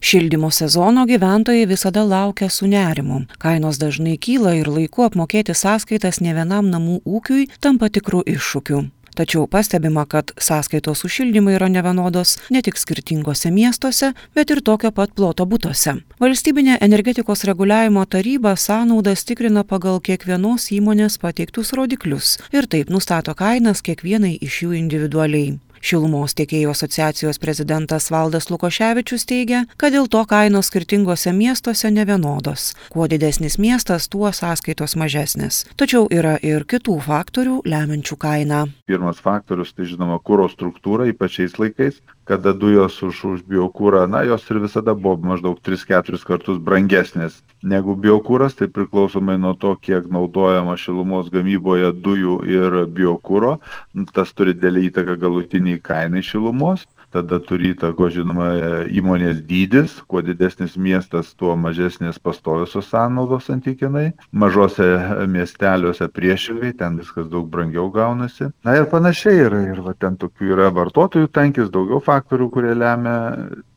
Šildymo sezono gyventojai visada laukia su nerimu. Kainos dažnai kyla ir laiku apmokėti sąskaitas ne vienam namų ūkiui tampa tikrų iššūkių. Tačiau pastebima, kad sąskaitos už šildymą yra nevienodos ne tik skirtingose miestuose, bet ir tokio pat ploto butuose. Valstybinė energetikos reguliavimo taryba sąnaudas tikrina pagal kiekvienos įmonės pateiktus rodiklius ir taip nustato kainas kiekvienai iš jų individualiai. Šilumos tiekėjų asociacijos prezidentas Valdas Lukoševičius teigia, kad dėl to kainos skirtingose miestuose nevienodos. Kuo didesnis miestas, tuo sąskaitos mažesnės. Tačiau yra ir kitų faktorių lemiančių kainą. Pirmas faktorius, tai žinoma, kuro struktūra, ypač šiais laikais, kada dujos už biokūrą, jos ir visada buvo maždaug 3-4 kartus brangesnės negu biokūras, tai priklausomai nuo to, kiek naudojama šilumos gamyboje dujų ir biokūro, tas turi didelį įtaką galutiniai kainai šilumos. Tada turi įtako, žinoma, įmonės dydis, kuo didesnis miestas, tuo mažesnės pastoviosios sąnaudos santykinai. Mažose miesteliuose priešingai, ten viskas daug brangiau gaunasi. Ir panašiai, ir ten tokių yra vartotojų tankis, daugiau faktorių, kurie lemia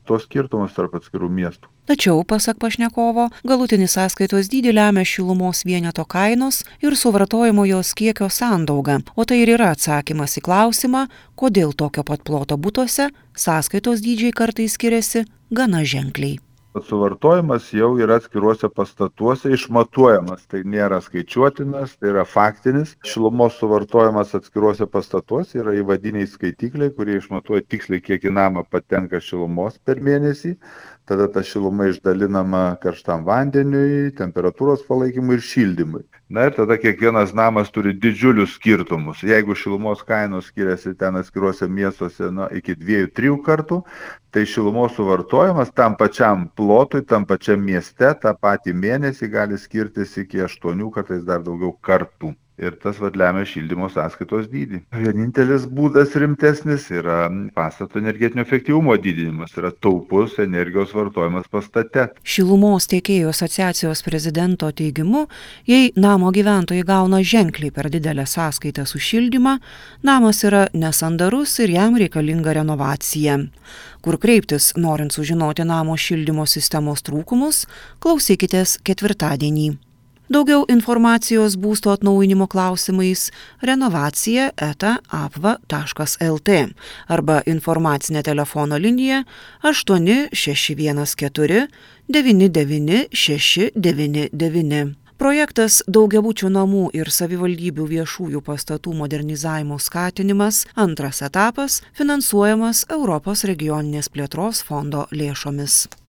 tos skirtumus tarp atskirų miestų. Tačiau, pasak pašnekovo, galutinį sąskaitos dydį lemia šilumos vieneto kainos ir suvartojimo jos kiekio sandauga, o tai ir yra atsakymas į klausimą, kodėl tokio pat ploto butuose sąskaitos dydžiai kartais skiriasi gana ženkliai. Suvartojimas jau yra atskiruose pastatuose išmatuojamas, tai nėra skaičiuotinas, tai yra faktinis. Šilumos suvartojimas atskiruose pastatuose yra įvadiniai skaitikliai, kurie išmatuoja tiksliai, kiek į namą patenka šilumos per mėnesį. Tada ta šiluma išdalinama karštam vandeniui, temperatūros palaikymui ir šildymui. Ir tada kiekvienas namas turi didžiulius skirtumus. Jeigu šilumos kainos skiriasi ten atskiruose miestuose iki 2-3 kartų, tai šilumos suvartojimas tam pačiam plotui, tam pačiam mieste, tą patį mėnesį gali skirtis iki 8, kartais dar daugiau kartų. Ir tas lemia šildymo sąskaitos dydį. Vienintelis būdas rimtesnis yra pastato energetinio efektyvumo didinimas, yra taupus energijos vartojimas pastate. Šilumos tiekėjų asociacijos prezidento teigimu, jei namo gyventojai gauna ženkliai per didelę sąskaitą už šildymą, namas yra nesandarus ir jam reikalinga renovacija. Kur kreiptis, norint sužinoti namo šildymo sistemos trūkumus, klausykitės ketvirtadienį. Daugiau informacijos būsto atnaujinimo klausimais renovacija@apva.lt arba informacinė telefono linija 8614 99 699. Projektas daugiabučių namų ir savivaldybių viešųjų pastatų modernizavimo skatinimas, antras etapas, finansuojamas Europos regioninės plėtros fondo lėšomis.